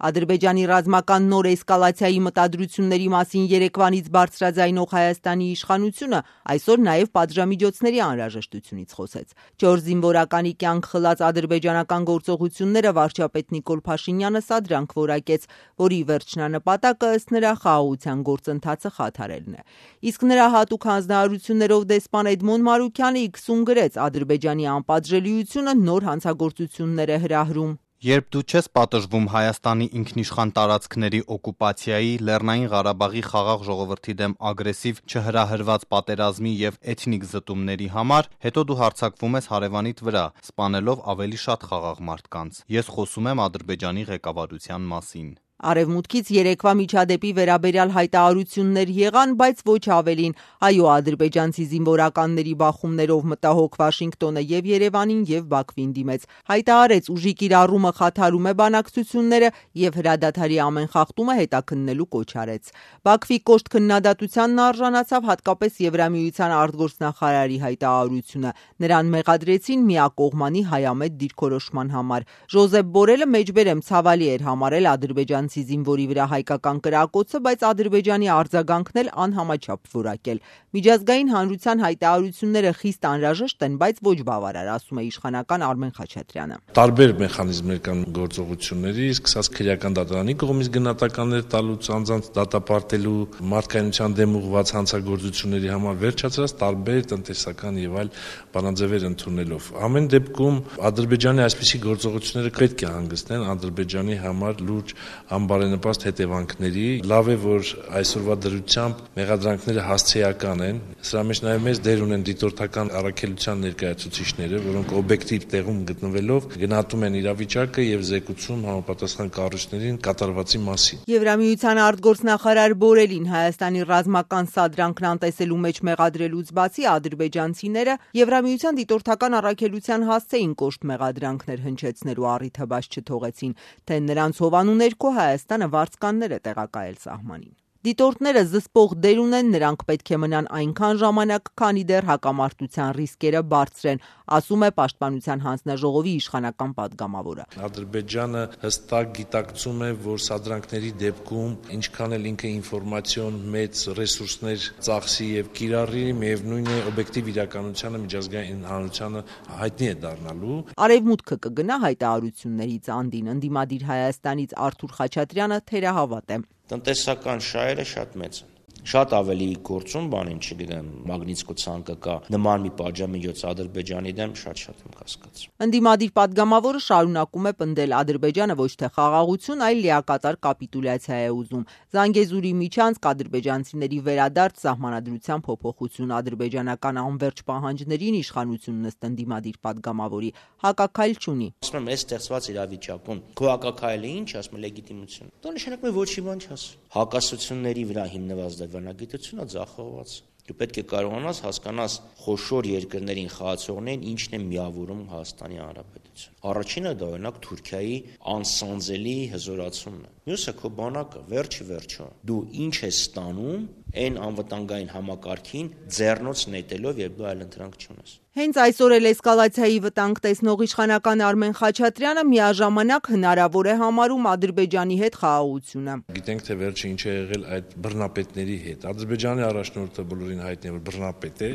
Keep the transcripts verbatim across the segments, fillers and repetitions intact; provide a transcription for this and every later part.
Ադրբեջանի ռազմական նոր էսկալացիայի մտադրությունների մասին երեկվանից բարձրաձայնող Հայաստանի իշխանությունը այսօր նաև պատժամիջոցների անհրաժեշտությունից խոսեց։ Չորս զինվորականի կյանք խլած ադրբեջանական գործողությունները վարչապետ Նիկոլ Փաշինյանը սադրանք որակեց, որի վերջնանպատակը ըստ նրա խաղաղության գործընթացը խաթարելն է։ Իսկ նրա հատուկ հանձնարարություններով դեսպան Էդմոն Մարուքյանը իքսում գրեց Ադրբեջանի անպատժելիությունը նոր հանցագործություններ է հրահրում։ Երբ դու չես պատժվում Հայաստանի ինքնիշխան տարածքների օկուպացիայի, Լեռնային Ղարաբաղի խաղաղ ժողովրդի դեմ ագրեսիվ չհրահրված պատերազմի եւ էթնիկ զտումների համար, հետո դու հարձակվում ես հարևանիդ վրա, սպանելով ավելի շատ խաղաղ մարդկանց։ Ես խոսում եմ Ադրբեջանի ղեկավարության մասին։ Արևմուտքից երեկվա միջադեպի վերաբերյալ հայտարարություններ եղան, բայց ոչ ավելին։ Այո, ադրբեջանցի զինվորականների բախումներով մտահոգ Վաշինգտոնը եւ Երևանին եւ Բաքվին դիմեց։ Հայտարարեց ուժի կիրառումը խաթարում է բանակցությունները եւ հրադադարի ամեն խախտումը հետաքննելու կոչ արեց։ Բաքվի կոշտ քննադատությանն արժանացավ հատկապես Եվրամիության արտգործնախարարի հայտարարությունը։ Նրան մեղադրեցին միակողմանի հայամետ դիրքորոշման համար։ Ժոզեփ Բորելը մեջբերեմ ցավալի էր համարել ադրբեջան զինվորի վրա հայկական կրակոցը, բայց Ադրբեջանի արձագանքն էլ անհամաչափ որակել։ Միջազգային հանրության հայտարարությունները խիստ անհրաժեշտ են, բայց ոչ բավարար, ասում է իշխանական Արմեն Խաչատրյանը։ Տարբեր մեխանիզմներ կան գործողությունների, սկսած քրեական դատարանի կողմից գնահատականներ տալուց, անձանց դատապարտելու, մարդկայնության դեմ ուղղված հանցագործությունների համար վերջացրած տարբեր տնտեսական եւ այլ բանաձևեր ընդունելով։ Ամեն դեպքում Ադրբեջանի այսպիսի գործողությունները պետք է հանգեցնեն Ադրբեջանի համար լուրջ անբարենպաստ հետևանքների։ Լավ է, որ այսօրվա դրությամբ մեղադրանքները հասցեական են։ Սրա մեջ նաև մեծ դեր ունեն դիտորդական առաքելության ներկայացուցիչները, որոնք օբյեկտիվ տեղում գտնվելով գնահատում են իրավիճակը եւ զեկուցում համապատասխան կառույցներին կատարվածի մասին։ Եվրամիության արտգործնախարար Բորելին Հայաստանի ռազմական սադրանքն անտեսելու մեջ մեղադրելուց բացի ադրբեջանցիները Եվրամիության դիտորդական առաքելության հասցեին կոշտ մեղադրանքներ հնչեցնելու առիթը բաց չթողեցին, թե նրանց հովանու ներքո Հայաստանը վարձկաններ է տեղակայել սահմանին։ Դիտորդները զսպող դեր ունեն, նրանք պետք է մնան այնքան ժամանակ, քանի դեռ հակամարտության ռիսկերը բարձր են, ասում է Պաշտպանության հանձնաժողովի իշխանական падգամավորը։ Ադրբեջանը հստակ գիտակցում է, որ սադրանքների դեպքում ինչքան էլ ինքը ինֆորմացիոն մեծ ռեսուրսներ ծախսի եւ կիրառի, միևնույն է օբյեկտիվ իրականությանը միջազգային հանրությանը հայտնի է դառնալու։ Արևմուտքը կգնա հայտարարություններից անդին, ընդդիմադիր Հայաստանից Արթուր Խաչատրյանը թերահավատ է։ Տնտեսական շահերը շատ մեծ են։ Շատ ավելի գործում բանին, չգիտեմ, Մագնիսկո ցանկը կա նման մի պատժամիջոց Ադրբեջանի դեմ շատ-շատ եմ կասկածում։ Ընդդիմադիր падգամավորը շարունակում է պնդել Ադրբեջանը ոչ թե խաղաղություն, այլ լիակատար կապիտուլյացիա է ուզում։ Զանգեզուրի միջանցք, ադրբեջանցիների վերադարձ, սահմանադրության փոփոխություն, ադրբեջանական անվերջ պահանջներին իշխանությունն ըստ ընդդիմադիր падգամավորի հակաքայլ չունի։ Ասում եմ, այս ստեղծված իրավիճակում քո հակաքայլը ինչ, ասում եմ, լեգիտիմություն։ Դա նշանակում է ոչի բան չաս։ Հակասությունների վրա հիմնված դրվանագիտությունը ձախողված։ Դու պետք է կարողանաս հասկանաս խոշոր երկրներին խաղացողներին ինչն է միավորում Հայաստանի Հանրապետություն։ Առաջինը դա օրինակ Թուրքիայի անսանձելի հզորացումն է։ Մյուսը քո բանակը, վերջի վերջո։ Դու ինչ ես ստանում այն անվտանգային համակարգին ձեռնոց նետելով, երբ դու այլ ընտրանք չունես։ Հենց այսօր էլ էսկալացիայի վտանգ տեսնող իշխանական Արմեն Խաչատրյանը միաժամանակ հնարավոր է համարում Ադրբեջանի հետ խաղաղությունը։ Գիտենք, թե վերջը ինչ է եղել այդ բռնապետների հետ։ Ադրբեջանի առաջնորդը բոլորին հայտնի է, որ բռնապետ է,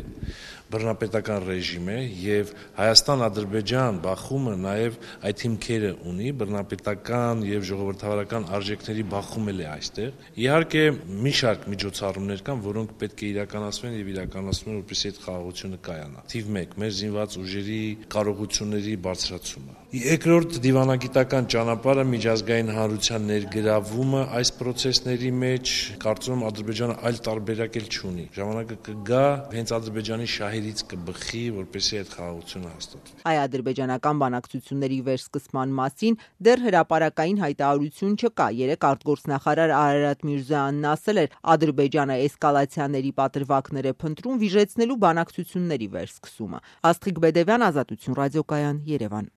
բռնապետական ռեժիմ է եւ Հայաստան-Ադրբեջան բախումը նաեւ այդ հիմքերը ունի, բռնապետական եւ ժողովրդավարական արժեքների բախում էլ է այստեղ։ Իհարկե, մի շարք միջոցառումներ կան, որոնք պետք է իրականացվեն եւ իրականացվում են, որպեսզի այդ խաղաղությունը կայանա։ Թիվ մեկ մեր զինված ուժերի կարողությունների բարձրացումը։ Երկրորդ դիվանագիտական ճանապարհը միջազգային հանրության ներգրավումը այս process-ների մեջ, կարծում եմ Ադրբեջանը այլ տարբերակ էլ չունի։ Ժամանակը կգա, հենց Ադրբեջանի շահերից կբխի, որպեսզի այդ խաղաղությունը հաստատվի։ Այ ադրբեջանական բանակցությունների վերսկսման մասին դեռ հրապարակային հայտարարություն չկա։ Երեկ արտգործնախարար Արարատ Միրզոյանն ասել էր, Ադրբեջանը էսկալացիաների պատրվակներ է փնտրում վիժեցնելու բանակցությունների վերսկսումը։ Աստղիկ Բեդևյան, Ազատություն ռադիոկայան, Երևան։